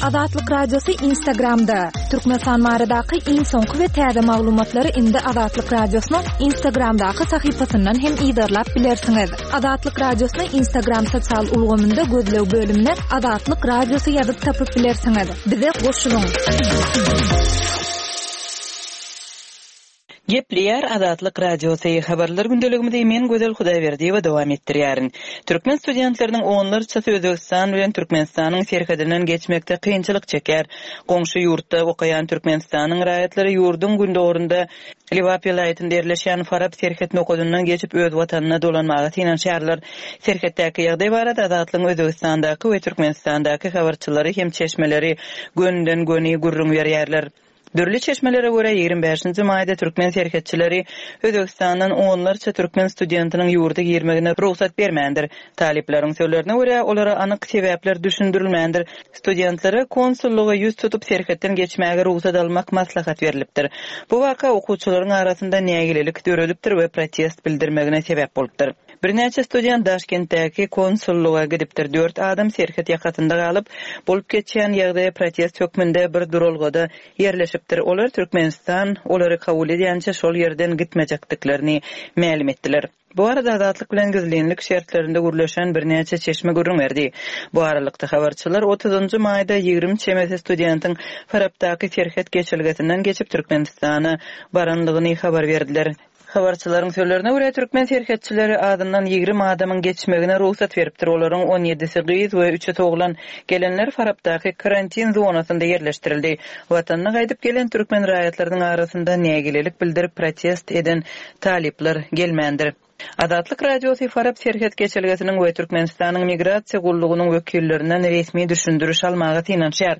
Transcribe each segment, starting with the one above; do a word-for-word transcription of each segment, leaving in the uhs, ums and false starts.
Azatlyk Radiosy Instagramda. Türkmenistan baradaky iň soňky we täze maglumatlary indi Azatlyk Radiosynyň Instagramdaky sahypasyndan hem yzarlap bilersiňiz. Azatlyk Radiosyny Instagram sosial ulgamynda gözleg bölümine Azatlyk Radiosy ýazyp tapyp bilersiňiz. Bize goşulyň. Gepleýär Azatlyk Radiosy habarlar gündeligimizi men Gözel Hudaýberdiýewa dowam etdirýärin. Türkmen studentleriniň onlarçasy Özbegistan bilen Türkmenistanyň serhedinden geçmekde kynçylyk çekýär. Goňşy ýurtda okaýan Türkmenistanyň raýatlary ýurduň gündogrunda Lebap welaýatynda ýerleşýän Farap serhet nokadyndan geçip öz watanyna dolanmaga synanyşýarlar. Serhetdäki ýagdaý barada Azatlygyň Özbegistandaky we Türkmenistandaky habarçylary hem çeşmeleri gönden-göni gürrüň berýärler. Dürli çeşmelere görä ýigrimi bäşinji maýda türkmen serhetçileri Özbegistandan onlarça türkmen studentiniň ýurda girmegine rugsat bermändir. Talyplaryň sözlerine görä, olara anyk sebäpler düşündirilmändir. Studentlere konsullyga ýüz tutup serhetden geçmäge rugsat almak maslahat berlipdir. Bu waka okuwçylaryň arasynda nägilelik döredipdir we protest bildirmegine sebäp bolupdyr. Birnäçe student Daşkentdäki konsullyga gidipdir. Dört adam serhet ýakasynda galyp, bolup geçýän ýagdaýa protest hökmünde bir duralgada ýerleşipdir. Olar Türkmenistan olary kabul edýänçä şol ýerden gitmejekdiklerini mälim etdiler. Bu arada Azatlyk bilen gizlinlik şertlerinde gürleşen birnäçe çeşme gürrüň berdi. Bu aralykda habarçylar otuzynjy maýda ýigrimi çemesi studentiň Farapdaky serhet geçelgesinden geçip Türkmenistana barandygyny habar berdiler. Habarçylaryň sözlerine görä, türkmen serhetçileri azyndan ýigrimi adamyň geçmegine rugsat beripdir. Olaryň on ýedisi gyz we üçüsi oglan. Gelenler Farapdaky karantin zonasynda ýerleşdirildi. Watanyna gaýdyp gelen türkmen raýatlarynyň arasynda nägilelik bildirip protest eden talyplar gelmändir. Azatlyk Radiosy Farap serhet geçelgesiniň we Türkmenistanyň migrasiýa gullugynyň wekillerinden resmi düşündiriş almaga synanyşýar.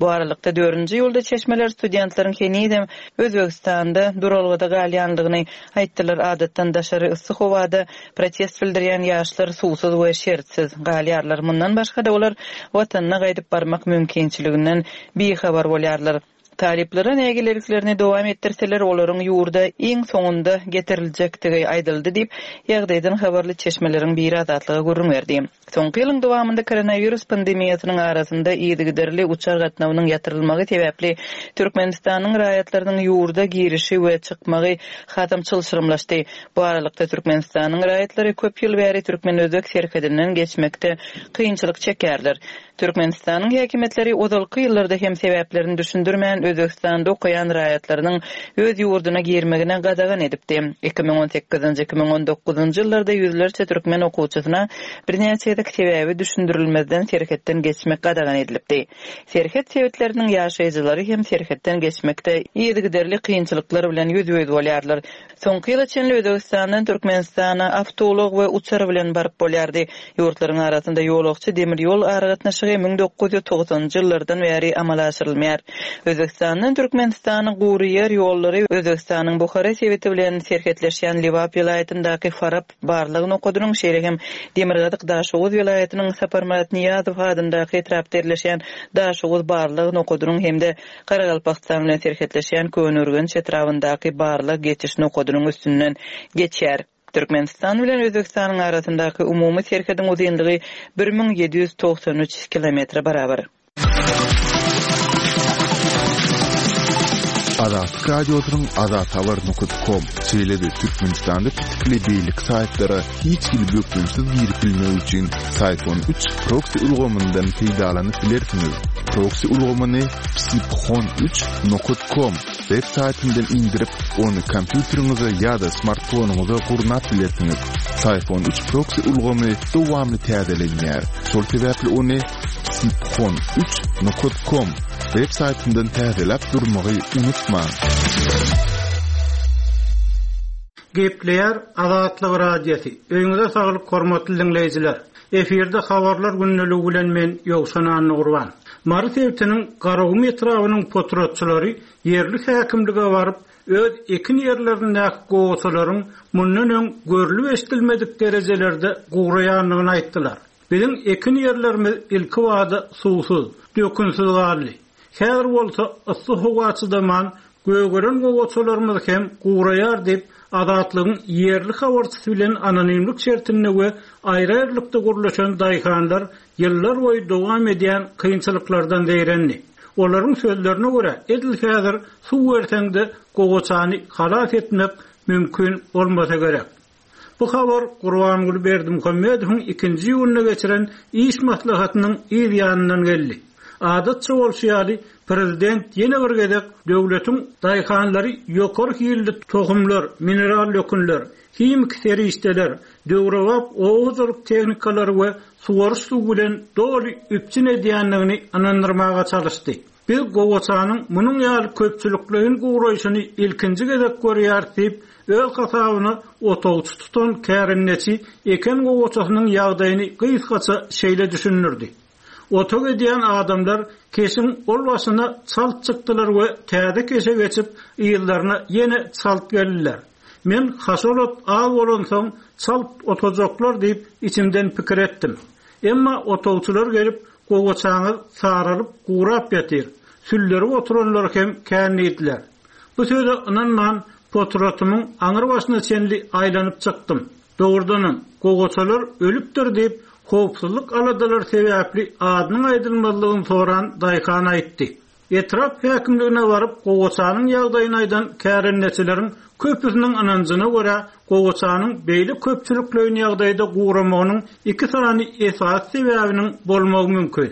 Bu aralykda dördünji ýylda çeşmeler studentleriň henizem Özbegistanda duralgada galýandygyny aýtdylar. Adatdan daşary yssy howada protest bildirýän ýaşlar suwsuz we şertsiz galýarlar. Mundan başga-da olar watanyna gaýdyp barmak mümkinçiliginden bihabar bolýarlar. Talyplara nägileliklerini dowam etdirseler, olaryň ýurda iň soňunda getiriljekdigi aýdyldy diýip, ýagdaýdan habarly çeşmeleriň biri Azatlyga gürrüň berdi. Soňky ýylyň dowamynda koronawirus pandemiýasynyň arasynda yzygiderli uçar gatnawynyň ýatyrylmagy sebäpli Türkmenistanyň raýatlarynyň ýurda girişi we çykmagy hasam çylşyrymlaşdy. Bu aralykda Türkmenistanyň raýatlary köp ýyl bäri türkmen-özbek serhedinden geçmekde kynçylyk çekýärler. Türkmenistanyň häkimiýetleri ozalky ýyllarda hem sebäplerini düşündirmän Özbegistanda okaýan raýatlarynyň öz ýurduna girmegine gadagan edipdi. Iki müň on sekizinji, iki müň on dokuzynjy ýyllarda ýüzlerçe türkmen okuwçysyna birnäçe gezek sebäbi düşündirilmezden serhetden geçmek gadagan edilipdi. Serhet sebitleriniň ýaşaýjylary hem serhetden geçmekde yzygiderli kynçylyklar bilen ýüzbe-ýüz bolýarlar. Soňky ýyla çenli Özbegistandan Türkmenistana awtoulag we uçar bilen baryp bolýardy. Ýurtlaryň arasynda ýolagçy demir ýol aragatnaşygy müň dokuz ýüz togsanynjy ýyllardan bäri amala aşyrylmaýar. Özbegistandan Türkmenistanyň gury ýer ýollary Özbegistanyň Buhara sebiti bilen serhetleşýän Lebap welaýatyndaky Farap barlag nokadynyň, şeýle hem Demirgazyk Daşoguz welaýatynyň Saparmyrat Nyýazow adyndaky etrapda ýerleşýän Daşoguz barlag nokadynyň hem-de Garagalpagystan bilen serhetleşýän Köneürgenç etrabyndaky barlag geçiş nokadynyň üstünden geçýär. Türkmenistan bilen Özbegistanyň arasyndaky umumy serhediň uzynlygy bir müň ýedi ýüz togsan üç kilometre barabar. Azatlyk Radiosynyň azathabar nokta com, şeýle-de Türkmenistanda pitikli beýleki saýtlara hiç hili bökdençsiz girip bilmek üçin Syfon üç proksi ulgamyndan peýdalanyp bilersiňiz. Proksi ulgamyny psiphon üç nokta com web saýtyndan indirip, ony kompýuteriňize ýa-da smartfonyňyza gurnap bilersiňiz. Syfon üç proksi ulgamy dowamly täzelenýär. Şol sebäpli ony psiphon üç nokta com web saýtyndan täzeläp durmagy unutmaň. Gepleýär Azatlyk Radiosy. Öýüňize saglyk hormatly diňleýjiler. Efirde habarlar gündeligi bilen men Ýowşan Annagurban. Mary sebitiniň Garagum etrabynyň potratçylary ýerli häkimlige baryp, öz ekin ýerlerindäki gowaçalaryň mundan öň görlüp eşidilmedik derejelerde guraýandygyny aýtdylar. Biziň ekin ýerlerimiz ilki wada suwsuz, dökünsiz galdy. Häzir bolsa yssy howa çydaman gögeren gowaçalarymyz hem guraýar diýip, Azatlygyň ýerli habarçysy bilen anonimlik şertinde we aýry-aýrylykda gurluşan daýhanlar ýyllar boýy dowam edýän kynçylyklardan zeýrendi. Olaryň sözlerine görä, edil häzir suw berseň-de gowaçany halas etmek mümkin bolmasa gerek. Bu habar Gurbanguly Berdimuhamedowyň ikinji iýunda geçiren iş maslahatynyň yz ýanyndan geldi. Adatça bolşy ýaly, prezident ýene bir gezek döwletiň daýhanlary ýokary hilli tohumlar, mineral dökünler, himiki serişdeler, döwrebap oba hojalyk tehnikalary we suwaryş suwy bilen doly üpjün edýändigini ynandyrmaga çalyşdy. Biz gowaçanyň munuň ýaly köpçülikleýin guraýşyny ilkinji gezek görýäris diýip, öz hasabyna otagçy tutan kärendeçi eken gowaçasynyň ýagdaýyny gysgaça şeýle düşündirdi. Otag edýän adamlar keşiň ol başyna çalt çykdylar we täze keşe geçip, ýyllaryna ýene çalt geldiler. Men haşalot az bolansoň çalt otajaklar diýip içimden pikir etdim. Emma otagçylar gelip gowaçaňyz saralyp gurap ýatyr. Sülleri oturanlar hem kändiler. Bu söze ynanman potratymyň aňyr başyna çenli aýlanyp çykdym. Dogrudanam gowaçalar ölüpdir diýip howpsuzlyk aladalar sebäpli adynyň aýdylmazlygyny soran daýhan aýtdy. Etrap häkimligine baryp gowaçanyň ýagdaýyny aýdan kärendeçileriň köpüsiniň ynanjyna görä gowaçanyň beýle köpçülikleýin ýagdaýda guramagynyň iki sany esasy sebäbiniň bolmagy mümkin.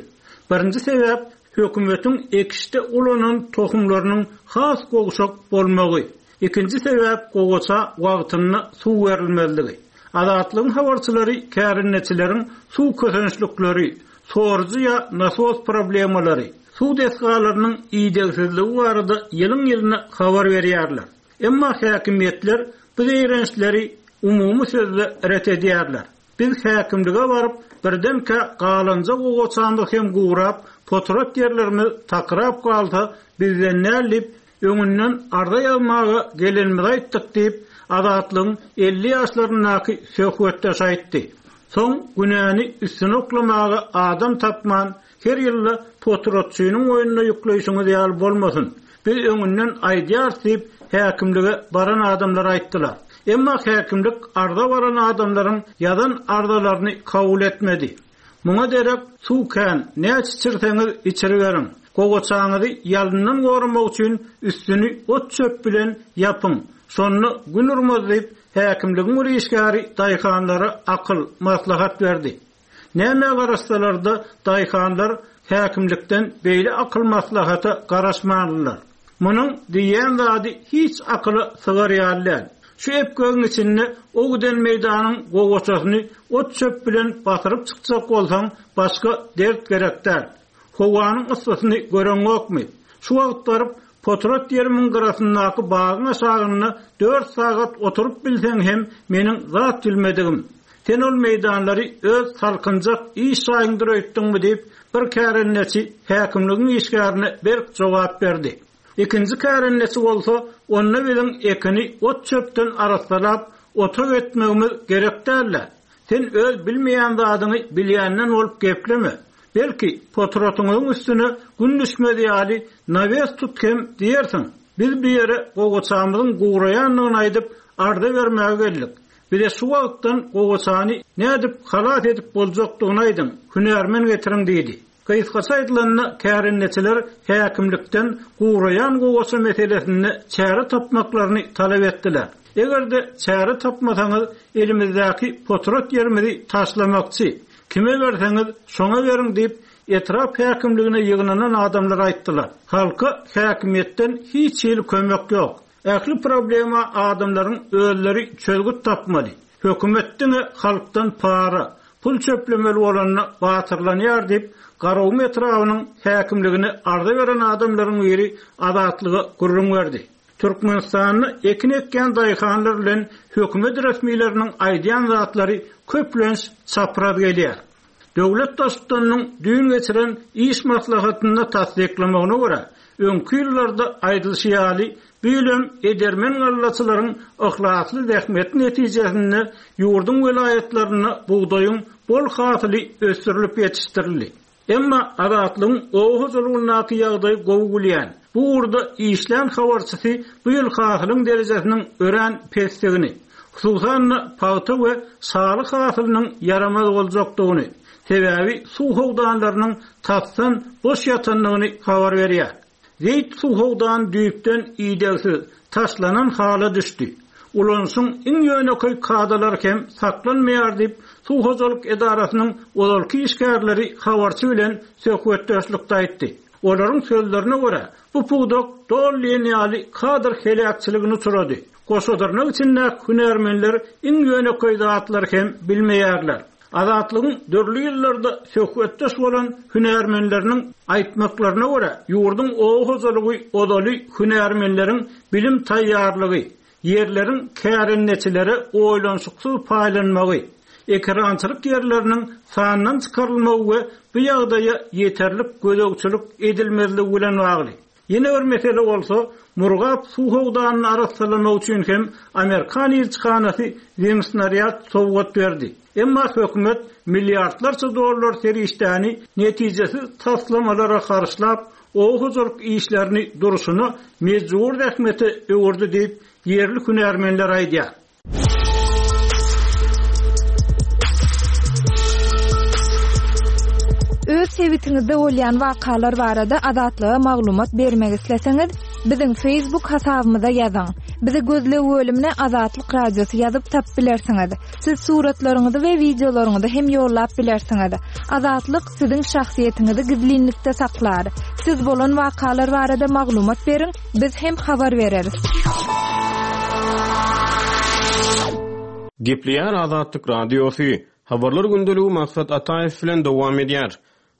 Birinji sebäp hökümetiň ekişde ulanan tohumlarynyň has gowşak bolmagy. Ikinji sebäp gowaça wagtynda suw berilmezligi. Azatlygyň habarçylary kärendeçileriň suw kösençlikleri, sorujy ýa nasos problemalary, suw desgalarynyň idegsizligi barada ýylyň-ýylyna habar berýärler. Emma häkimiýetler bu zeýrençleri umumy sözle ret edýärler. Biz häkimlige baryp, birdenkä galanja gowaçandy hem gurap, potrat ýerlerimiz takrap galsa, bizden näl diýip, öňünden arza ýazmaga gelenimizi aýtdyk diýip, Azatlygyň elli ýaşlaryndaky söhbetdeş aýtdy. Soň günäni üstüne oklamaga adam tapman, her ýylda potratçynyň oýnuna ýükleýşiňiz ýaly bolmasyn. Biz öňünden aýdýarys diýip, häkimlige baran adamlar aýtdylar. Emma häkimlik arza baran adamlaryň ýazan arzalaryny kabul etmedi. Muňa derek suw kän, näçe içirseňiz içiriberiň. Gowaçaňyzy ýalyndan goramak üçin üstüni ot çöp bilen ýapyň. Şonda gün urmaz diýip, häkimligiň bir işgäri daýhanlara akyl, maslahat berdi. Näme garaşsalar-da daýhanlar häkimlikden beýle akyl maslahata garaşmandylar. Munuň diýen zady hiç akyla sygar ýaly däl. Şu epgegiň içinde o giden meýdanyň gowaçasyny ot çöp bilen basyryp çykjak bolsaň, başga dert gerek däl. Howanyň yssysyny göreňokmy? Şu wagt baryp potrat ýerimiň gyrasyndaky bagyň aşagynda dört sagat oturyp bilseň hem meniň zat bilmedigim. Sen ol meýdanlary öz salkynjak iş şaýyňdyr öýtdüňmi diýip, bir kärendeçi häkimligiň işgärine berk jogap berdi. Ikinji kärendeçi bolsa, onda biziň ekini ot çöpden arassalap, otag etmegimiz gerek däldi. Sen öz bilmeýän zadyňy bilýänden bolup gepleme. Belki potratyňyň üstüne gün düşmez ýaly nawes tut hem diýersiň. Biz bir ýere gowaçamyzyň guraýandygyny aýdyp, arza bermäge geldik. Bize şu wagtdan gowaçany nädip halas edip boljakdygyny aýdyň, hünärmen getiriň diýdi. Gysgaça aýdylanda kärendeçiler häkimlikden guraýan gowaça meselesinde çäre tapmaklaryny talap etdiler. Eger-de çäre tapmasaňyz, elimizdäki potrat ýerimizi taşlamakçy, kime berseňiz şoňa beriň diýip, etrap häkimligine ýygnanan adamlar aýtdylar. Halka häkimiýetden hiç hili kömek ýok. Ähli problema adamlaryň özleri çözgüt tapmaly. Hökümet diňe halkdan para, pul çöplemeli bolanyna batyrlanýar diýip, Garagum etrabynyň häkimligine arza beren adamlaryň biri Azatlyga gürrüň berdi. Türkmenistanda ekin ekýän daýhanlar bilen hökümet resmileriniň aýdýan zatlary köplenç çapraz gelýär. Döwlet baştutanynyň düýn geçiren iş maslahatynda tassyklamagyna görä, öňki ýyllarda aýdylyşy ýaly, bu ýylam edermen gallaçylaryň yhlasly zähmeti netijesinde ýurduň welaýatlarynda bugdaýyň bol hasyly ösdürilip ýetişdirildi. Emma Azatlygyň oba hojalygyndaky ýagdaý gowy gülýän, Bu ugurda işlän habarçysy bu ýyl hasylyň derejesiniň örän pesdigini, hususan-da pagta we şaly hasylynyň ýaramaz boljakdygyny, sebäbi suw howdanlarynyň tasdan boş ýatandygyny habar berýär. Zeýt suw howdany düýpden idegsiz, taşlanan hala düşdi. Ulanyşyň iň ýönekeý kadalary hem saklanmaýar diýip, suw hojalyk edarasynyň ozalky işgärleri habarçy bilen söhbetdeşlikde aýtdy. Olaryň sözlerine görä, bu pudak doly diýen ýaly kadr heläkçiligine uçrady. Goşadyrnak içindäki hünärmenler iň ýönekeý zatlary hem bilmeýärler. Azatlygyň dürli ýyllarda söhbetdeş bolan hünärmenleriniň aýtmaklaryna görä, ýurduň oba hojalygy ozaly hünärmenleriň bilim taýýarlygy, ýerleriň kärendeçilere oýlanyşyksyz paýlanmagy, ekerançylyk ýerleriniň sandan çykarylmagy we bu ýagdaýa ýeterlik gözegçilik edilmezligi bilen bagly. Ýene bir mesele bolsa, Murgap suw howdanyny arassalamak üçin hem Amerikan ilçihanasy zemsnaryad sowgat berdi. Emma hökümet milliardlarça dollar serişdäni netijesiz taslamalara harçlap, oba hojalyk işlerini durşuna mejbur zähmete öwürdi diýip, ýerli hünärmenler aýdýar. Öz sebitiňizde bolýan wakalar barada Azatlyga maglumat bermek isleseňiz, biziň Facebook hasabymyza ýazyň. Bizi gözleg bölümine Azatlyk Radiosy ýazyp tapyp bilersiňiz. Siz suratlaryňyzy we wideolaryňyzy hem ýollap bilersiňiz. Azatlyk siziň şahsyýetiňizi gizlinlikde saklar. Siz bolan wakalar barada maglumat beriň, biz hem habar bereris. Gepleýär Azatlyk Radiosy. Habarlar gündeligi Maksat Ataýew bilen dowam edýär.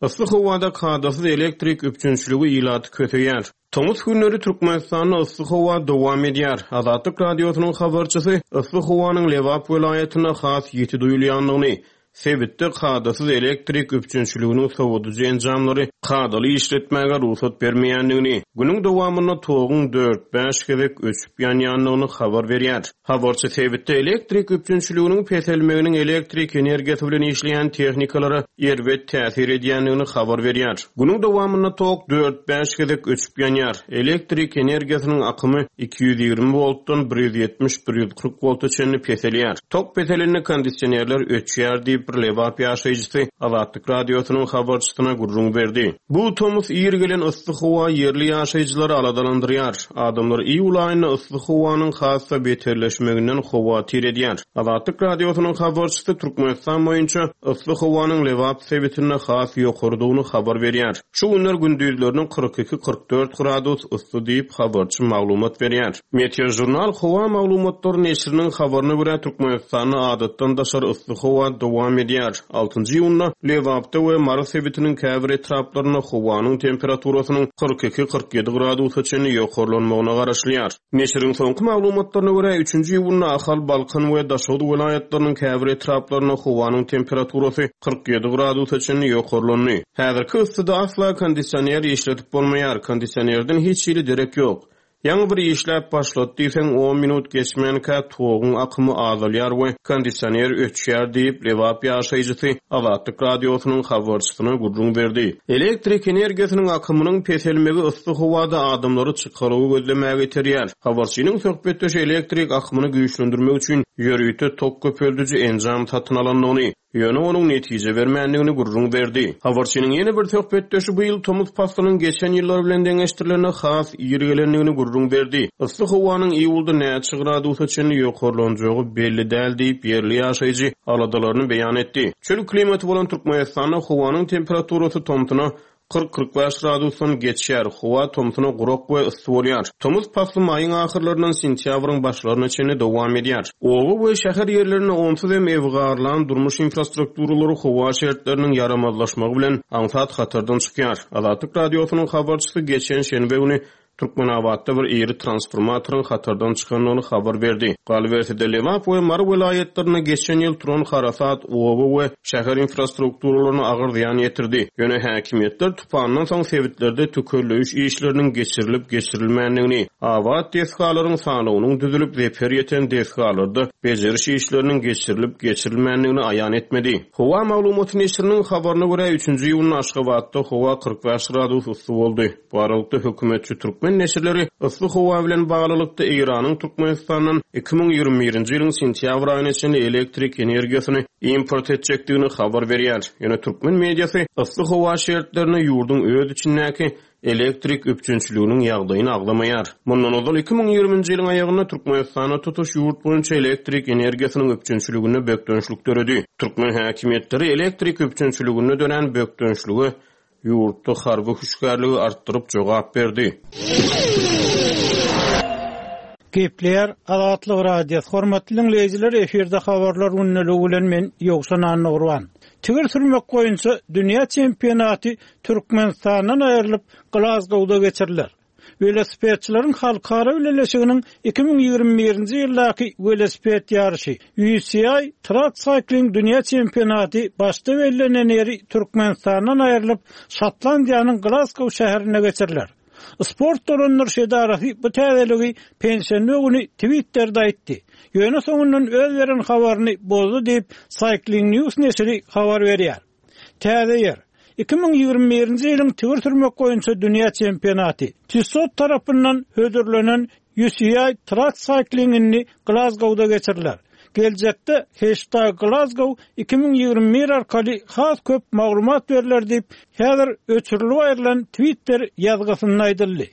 Yssy howada kadasyz elektrik üpjünçiligi ilaty köseýär. Tomus günleri Türkmenistanda yssy howa dowam edýär. Azatlyk Radiosynyň habarçysy yssy howanyň Lebap welaýatynda has ýiti duýulýandygyny, sebitde kadasyz elektrik üpjünçiliginiň sowadyjy enjamlary kadaly işletmäge rugsat bermeýändigini, günüň dowamynda toguň dört-bäş gezek öçüp ýanýandygyny habar berýär. Habarçy sebitde elektrik üpjünçiliginiň peselmeginiň elektrik energiýasy bilen işleýän tehnikalara erbet täsir edýändigini habar berýär. Günüň dowamynda tok dört-bäş gezek öçüp ýanýar. Elektrik energiýasynyň akymy iki ýüz ýigrimi voltdan bir ýüz ýetmiş, bir ýüz kyrk volta çenli peselýär. Tok peselende kondisionerler öçýär diýip bir Lebap ýaşaýjysy Azatlyk Radiosynyň habarçysyna gürrüň berdi. Bu tomus ir gelen yssy howa ýerli ýaşaýjylary aladalandyrýar. Adamlar iýul aýynda yssy howanyň has-da beterleşmeginden howatyr edýär. Azatlyk Radiosynyň habarçysy Türkmenistan boýunça yssy howanyň Lebap sebitinde has ýokarydygyny habar berýär. Şu günler gündizleriniň kyrk iki, kyrk dört gradus yssy diýip habarçy maglumat berýär. Meteor Journal howa maglumatlary neşiriniň habaryna görä Türkmenistanda adatdan daşary yssy howa dowam edýär. Altynjy iýunda Lebapda we Mary sebitiniň käbir etraplarynda howanyň temperaturasynyň kyrk iki, kyrk ýedi gradusa çenli ýokarlanmagyna garaşylýar. Neşiriň soňky maglumatlaryna görä üçünji iýunda Ahal, Balkan we Daşoguz welaýatlarynyň käbir etraplarynda howanyň temperaturasy kyrk ýedi gradusa çenli ýokarlandy. Häzirki yssyda asla kondisioner işletip bolmaýar. Kondisionerden hiç hili derek ýok. Ýaňy bir işläp başlady diýseň on minut geçmänkä toguň akymy azalýar we kondisioner öçýär diýip Lebap ýaşaýjysy Azatlyk Radiosynyň habarçysyna gürrüň berdi. Elektrik energiýasynyň akymynyň peselmegi yssy howada adamlary çykalygy gözlemäge iterýär. Habarçynyň söhbetdeşi elektrik akymyny güýçlendirmek üçin ýörite tok köpeldiji enjam satyn alandygyny, ýöne onuň netije bermändigini gürrüň berdi. Habarçynyň ýene bir söhbetdeşi bu ýyl tomus paslynyň geçen ýyllar bilen deňeşdirilende has ir gelendigini gürrüň berdi. Yssy howanyň iýulda näçe gradusa çenli ýokarlanjagy belli däl diýip ýerli ýaşaýjy aladalaryny beýan etdi. Çöl klimaty bolan Türkmenistanda howanyň temperaturasy tomsuna kyrk, kyrk bäş gradusdan geçýär. Howa tomsuna gurak we yssy bolýar. Tomus pasly maýyň ahyrlaryndan sentýabryň başlaryna çenli dowam edýär. Oba we şäher ýerlerinde onsuz hem ewgarlan durmuş infrastrukturalary howa şertleriniň ýaramazlaşmagy bilen aňsat hatardan çykýar. Azatlyk Radiosynyň habarçysy geçen şenbe güni Türkmenabatda bir iri transformatoryň hatardan çykandygyny habar berdi. Galyberse-de, Lebap we Mary welaýatlarynda geçen ýyl turan harasat oba we şäher infrastrukturalaryna agyr zyýan ýetirdi. Ýöne häkimiýetler tupandan soň sebitlerde tükelleýiş işleriniň geçirilip-geçirilmändigini, abat desgalaryň sanawynyň düzülip, zeper ýeten desgalarda bejeriş işleriniň geçirilip-geçirilmändigini aýan etmedi. Howa maglumaty neşiriniň habaryna görä, üçünji iýunda Aşgabatda howa kyrk bäş gradus yssy boldy. Bu aralykda hökümetçi türkmen neşirleri yssy howa bilen baglylykda Eýranyň Türkmenistandan iki müň ýigrimi birinji ýylyň sentýabr aýyna çenli elektrik energiýasyny import etjekdigini habar berýär. Ýöne türkmen mediasy yssy howa şertlerinde ýurduň öz içindäki elektrik üpjünçiliginiň ýagdaýyny agzamaýar. Mundan ozal iki müň ýigriminji ýylyň aýagynda Türkmenistanda tutuş ýurt boýunça elektrik energiýasynyň üpjünçiliginde bökdençlik döredi. Türkmen häkimiýetleri elektrik üpjünçiliginde dörän bökdençlige ýurtda harby hüşgärligi artdyryp jogap berdi. Gepleýär Azatlyk Radiosy. Hormatly dinleýjiler, efirde habarlar gündeligi bilen men Ýowşan Annagurban. Tigir sürmek boýunça dünýä çempionaty Türkmenistandan aýrylyp Glasgowda geçiriler. Welosipedçileriň halkara bileleşiginiň iki müň ýigrimi birinji ýyldaky welosiped ýaryşy U C I Track Cycling dünýä çempionaty başda bellenen ýeri Türkmenistandan aýrylyp Şotlandiýanyň Glasgow şäherine geçiriler. Sport dolandyryş edarasy bu täzeligi penşenbe güni Twitter'de aýtdy. Ýöne soňundan öz beren habaryny bozdy diýip Cycling News neşiri habar berýär. Täze ýer iki müň ýigrimi birinji ýylyň tigir sürmek boýunça dünýä çempionaty Tissot tarapyndan hödürlenen U C I Track Cycling-ini Glasgowda geçiriler. Geljekde hashtag Glasgow iki müň ýigrimi bir arkaly has köp maglumat berler diýip, häzir öçürilip aýrylan Twitter ýazgysynda aýdyldy.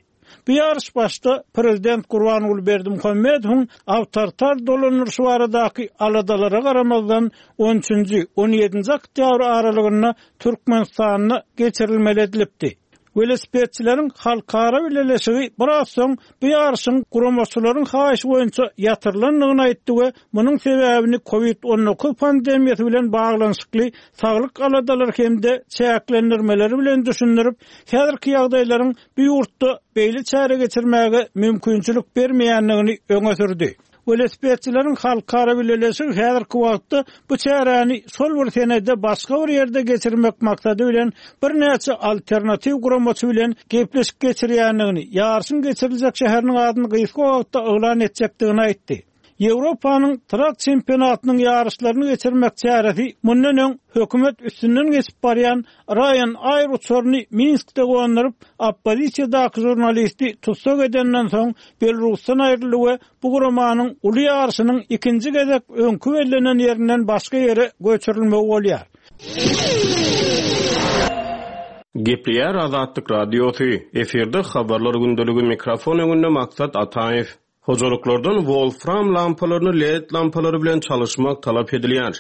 Bu ýaryş başda Prezident Gurbanguly Berdimuhamedowyň awtoritar dolandyryşy baradaky aladalara garamazdan on üçünji, on ýedinji oktýabr aralygynda Türkmenistanda geçirilmeli edilipdi. Welosipedçileriň halkara bileleşigi biraz soň bu ýaryşyň guramaçylaryň haýyşy boýunça ýatyrylandygyny aýtdy we munuň sebäbini COVID on dokuz pandemiýasy bilen baglanyşykly saglyk aladalary hem-de çäklendirmeleri bilen düşündirip, häzirki ýagdaýlaryň bu ýurtda beýle çäre geçirmäge mümkinçilik bermeýändigini öňe sürdi. Welosipedçileriň halkara bileleşigi häzirki wagtda bu çäräni şol bir senede başga bir ýerde geçirmek maksady bilen birnäçe alternatiw guramaçy bilen gepleşik geçirýändigini, ýaryşyň geçiriljek şäheriniň adyny gysga wagtda yglan etjekdigini aýtdy. Ýewropanyň trak çempionatynyň ýaryşlaryny geçirmek çäresi mundan öň hökümet üstünden geçip barýan Ryanair uçaryny Minskde gonduryp, oppozisiýadaky žurnalisti tutsak edenden soň Belarusdan aýryldy we bu guramanyň uly ýaryşynyň ikinji gezek öňkü bellenen ýerinden başga ýere göçürilmegi bolýar. Gepleýär Azatlyk Radiosy. Efirde habarlar gündeligi mikrofon öňünde Maksat Ataýew. Hojalyklardan wolfram lampalaryny L E D lampalary bilen çalyşmak talap edilýär.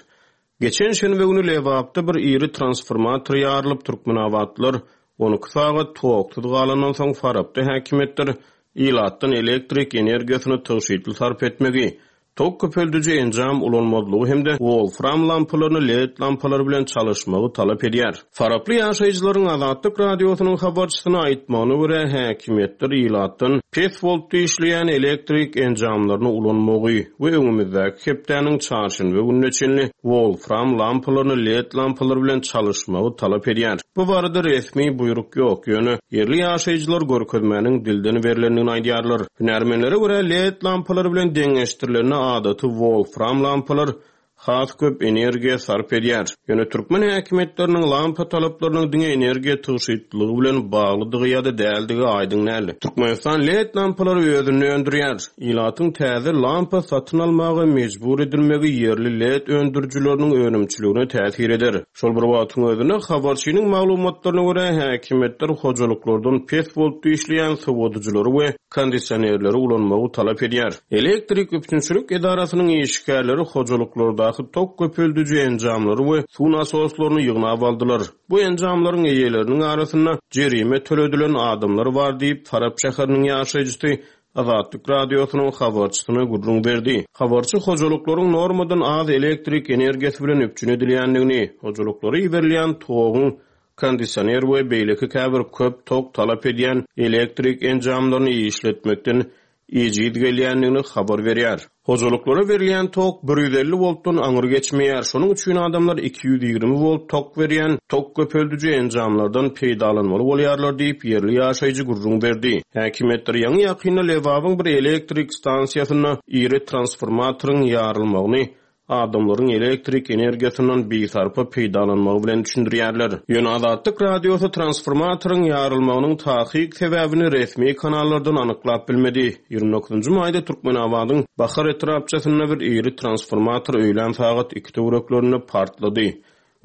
Geçen şenbe güni Lebapda bir iri transformator ýarylyp Türkmenabatlar on iki sagat toksuz galandan soň Farapda häkimiýetler ilatdan elektrik energiýasyny tygşytly sarp etmegi, tok köpeldiji enjam ulanmazlygy hem-de wolfram lampalaryny L E D lampalary bilen çalyşmagy talap edýär. Faraply ýaşaýjylaryň Azatlyk Radiosynyň habarçysyna aýtmagyna görä häkimiýetler ilatdan pes voltly işleýän elektrik enjamlaryny ulanmagy we öňümizdäki hepdäniň çarşenbe gününe çenli wolfram lampalaryny L E D lampalary bilen çalyşmagy talap edýär. Bu barada resmi buýruk ýok, ýöne ýerli ýaşaýjylar görkezmäniň dilden berilendigini aýdýarlar. Hünärmenlere görä L E D lampalary bilen deňeşdirilende adaty wolfram lampalar has köp energiýa sarp edýär. Ýöne türkmen häkimiýetleriniň lampa talaplarynyň diňe energiýa tygşytlygy bilen baglydygy ýa-da däldigi aýdyň däl. Türkmenistan L E D lampalary özünde öndürýär. Ilatyň täze lampa satyn almaga mejbur edilmegi ýerli L E D öndürijileriniň önümçiligine täsir eder. Şol bir wagtyň özünde habarçynyň maglumatlaryna görä häkimiýetler hojalyklardan pes voltly işleýän sowadyjylary we kondisionerleri ulanmagy talap edýär. Elektrik üpjünçilik edarasynyň işgärleri hojalyklardaky tok köpeldiji enjamlary we suw nasoslaryny ýygnap aldylar. Bu enjamlaryň eýeleriniň arasynda jerime töledilen adamlar bar diýip Farap şäheriniň ýaşaýjysy Azatlyk Radiosynyň habarçysyna gürrüň berdi. Habarçy hojalyklaryň normadan az elektrik energiýasy bilen üpjün edilýändigini, hojalyklara iberilýän toguň kondisioner we beýleki käbir köp tok talap edýän elektrik enjamlaryny işletmekden ejiz gelýändigini habar berýär. Hojalyklara berilýän tok bir ýüz elli woltdan aňry geçmeýär. Şonuň üçin adamlar iki ýüz ýigrimi volt tok berýän tok köpeldiji enjamlardan peýdalanmaly bolýarlar diýip ýerli ýaşaýjy gürrüň berdi. Häkimiýetler ýaňy ýakynda Lebabyň bir elektrik stansiýasynda iri transformatoryň ýarylmagyny adamlaryň elektrik energiýasyndan bisarpa peýdalanmagy bilen düşündirýärler. Ýöne Azatlyk Radiosy transformatoryň ýarylmagynyň takyk sebäbini resmi kanallardan anyklap bilmedi. Ýigrimi dokuzynjy maýda Türkmenabadyň Bahar etrapçasynda bir iri transformator öýlän sagat iki töwereklerinde partlady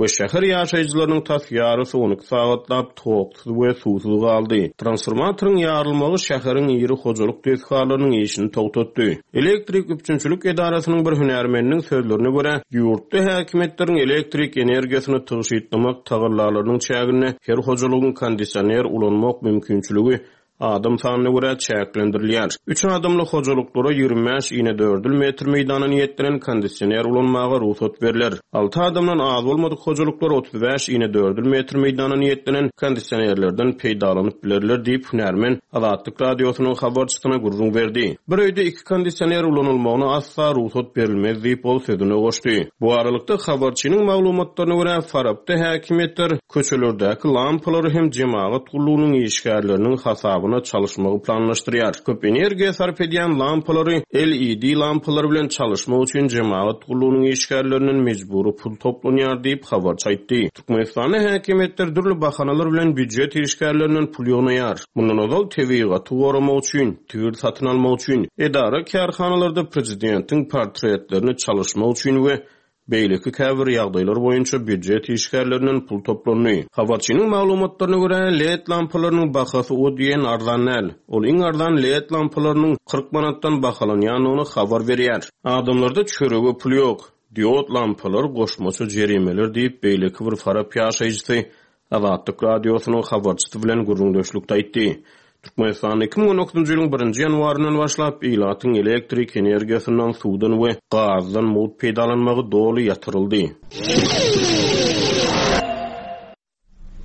we şäher ýaşaýjylarynyň tas ýarysy on iki sagatlap toksuz we suwsuz galdy. Transformatoryň ýarylmagy şäheriň iri hojalyk desgalarynyň işini togtatdy. Elektrik üpjünçilik edarasynyň bir hünärmeniniň sözlerine görä, ýurtda häkimiýetleriň elektrik energiýasyny tygşytlamak tagallalarynyň çäginde her hojalygyň kondisioner ulanmak mümkinçiligi adam sanyna görä çäklendirilýär. Üç adamly hojalyklara ýigrimi bäş ine dördül metr meýdana niýetlenen kondisioner ulanmaga rugsat beriler. Alty adamdan az bolmadyk hojalyklar otuz bäş ine dördül metr meýdana niýetlenen kondisionerlerden peýdalanyp bilerler diýip hünärmen Azatlyk Radiosynyň habarçysyna gürrüň berdi. Bir öýde iki kondisioner ulanylmagyna asla rugsat berilmez diýip ol sözüne goşdy. Bu aralykda habarçynyň maglumatlaryna görä Farapda häkimiýetler köçelerdäki lampalary hem jemagat gullugynyň işgärleriniň hasabyna çalışmagy planlaşdyrýar. Köp energiýa sarp edýän lampalary L E D lampalary bilen çalışmak üçin jemagat gullugynyň işgärlerinden mejbury pul toplanýar diýip habarçy aýtdy. Türkmenistanda häkimiýetler dürli bahanalar bilen býujet işgärlerinden pul ýygnaýar. Mundan ozal tebigaty goramak üçin, tigir satyn almak üçin, edara kärhanalarda prezidentiň portretlerini çalışmak üçin we beýleki käbir ýagdaýlar boýunça býujet işgärlerinden pul toplandy. Habarçynyň maglumatlaryna görä, L E D lampalarynyň bahasy o diýen arzan däl. Ol iň arzan L E D lampalarynyň kyrk manatdan bahalanýandygyny habar berýär. Adamlarda çörege pul ýok. Diod lampalar goşmaça jerimeler diýip beýleki bir Farap ýaşaýjysy Azatlyk Radiosynyň habarçysy bilen gürrüňdeşlikde aýtdy. Türkmenistanda iki müň on dokuzynjy ýylyň birinji ýanwaryndan başlap ilatyň elektrik energiýasyndan, suwdan we gazdan mugt peýdalanmagy doly ýatyryldy.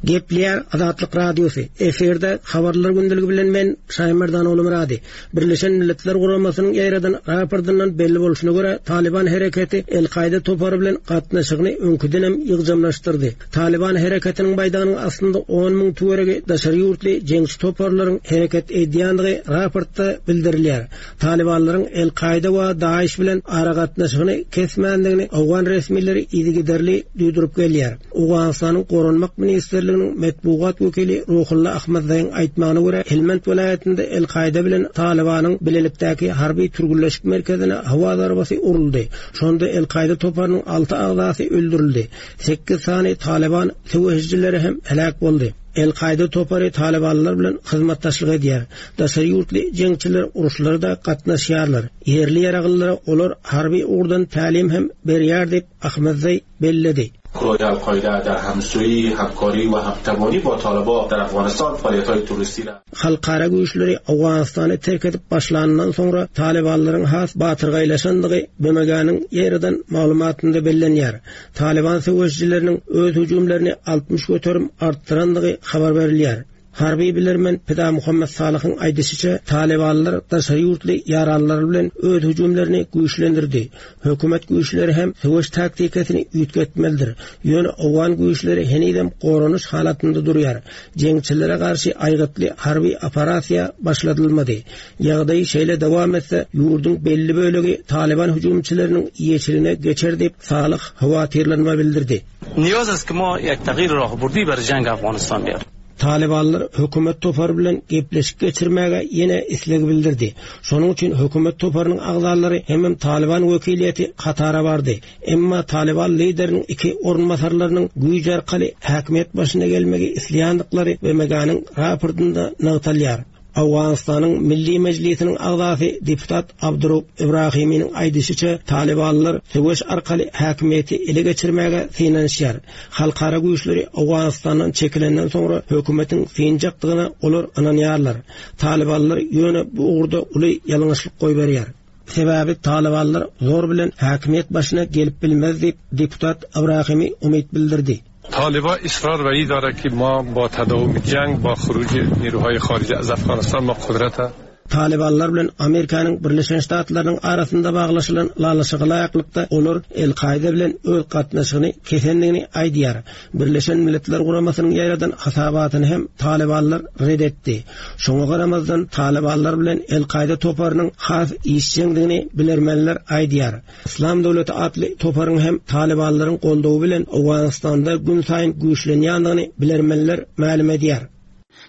Gepleýär Azatlyk Radiosy. Efirde habarlar gündeligi bilen men Şaýmerdan Oglumyrady. Birleşen Milletler Guramasynyň ýaýradan raportyndan belli bolşuna görä Taliban hereketi El-Kaýda topary bilen gatnaşygyny öňküdenem ýygjamlaşdyrdy. Taliban hereketiniň baýdagynyň aslynda on müň töweregi daşary ýurtly jeňçi toparlaryň hereket edýändigi raportda bildirilýär. Talibanlaryň El-Kaýda we Daeş bilen aragatnaşygyny kesmändigini Owgan resmileri yzygiderli duýduryp gelýär. Owganystanyň Goranmak ministrliginiň metbugat wekili Ruhulla Ahmadzaýyň aýtmagyna görä Helmand welaýatynda El-Kaýda bilen Talibanyň bilelikdäki harby türgünleşik merkezine howa zarbasy uruldy. Şonda El-Kaýda toparynyň alty agzasy öldürildi. Sekiz sany Taliban söweşijileri hem helak boldy. El-Kaýda topary Talibanlar bilen hyzmatdaşlyk edýär. Daşary ýurtly jeňçiler uruşlarda gatnaşýarlar. Ýerli ýaraglylara olar harby ugurdan tälim hem berýär diýip Ahmadzaý belledi. گروه القاعده در همسویی، همکاری و همتوانی با طالبان در افغانستان فعالیت‌های تروریستی را Halkara güýçleri Owganystany terk edip başlandan soňra Talibanlaryň has batyrgaýlaşandygy B M G-niň ýerden maglumatynda bellenýär. Taliban söweşçileriniň öz hüjümlerini altmyş göterim artdyrandygy habar berilýär. Harby bilermen Pida Muhammed Salyhyň aýdyşyça Talibanlar daşary ýurtly ýaranlar bilen öz hüjümlerini güýçlendirdi. Hökümet güýçleri hem söweş taktikasyny üýtgetmelidir. Ýöne Owgan güýçleri henizem goranyş halatynda durýar. Jeňçilere garşy aýgytly harby operasiýa başladylmady. Ýagdaý şeýle dowam etse, ýurduň belli bölegi Taliban hüjümçileriniň eýeçiligine geçer diýip Salyh howatyrlanma bildirdi. Niyaz است که ما یک تغییر راهبردی بر جنگ افغانستان بیاریم. Talibanlar hökümet topary bilen gepleşik geçirmäge ýene isleg bildirdi. Şonuň üçin hökümet toparynyň agzalary hem Taliban wekiliýeti Katara bardy. Emma Taliban lideriniň iki orunbasarlarynyň güýç arkaly häkimiýet başyna gelmegi isleýändiklari B M G-niň raportynda nygtalýar. Owganystanyň Milli Mejlisiniň agzasy deputat Abdurrahman Ibrahiminiň aýdyşyça Talibanlar söweş arkaly häkimiýeti ele geçirmäge synanyşýar. Halkara güýçleri Owganystandan çekilenden soňra hökümetiň synjakdygyna olar ynanýarlar. Talibanlar ýöne bu ugurda uly ýalňyşlyk goýberýär. Sebäbi Talibanlar zor bilen häkimiýet başyna gelip bilmez diýip deputat Ibrahimi umyt bildirdi. طالبا اصرار بر این داره که ما با تداوم جنگ با خروج نیروهای خارجی از افغانستان ما قدرت Talybanlar bilen Amerikanyň Birleşen Ştatlarynyň arasynda baglaşylan ylalaşyga laýyklykda olar El-Kaide bilen öz gatnaşygyny kesendigini aýdýar. Birleşen Milletler Guramasynyň ýaýradan hasabatyny hem Talybanlar red etdi. Şoňa garamazdan Talybanlar bilen El-Kaide toparynyň has işjeňdigini bilermenler aýdýar. Islam döwleti atly toparyň hem Talybanlaryň goldawy bilen Owganystanda gün saýyn güýçlenýändigini bilermenler mälim edýär.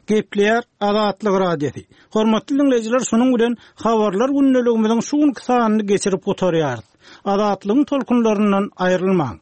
Gepleýär Azatlyk Radiosy. Hormatly dinleýjiler, şunuň bilen habarlar gündeligimiziň şu günki sanyny geçirip gutarýarys. Azatlygyň tolkunlaryndan aýrylmaň.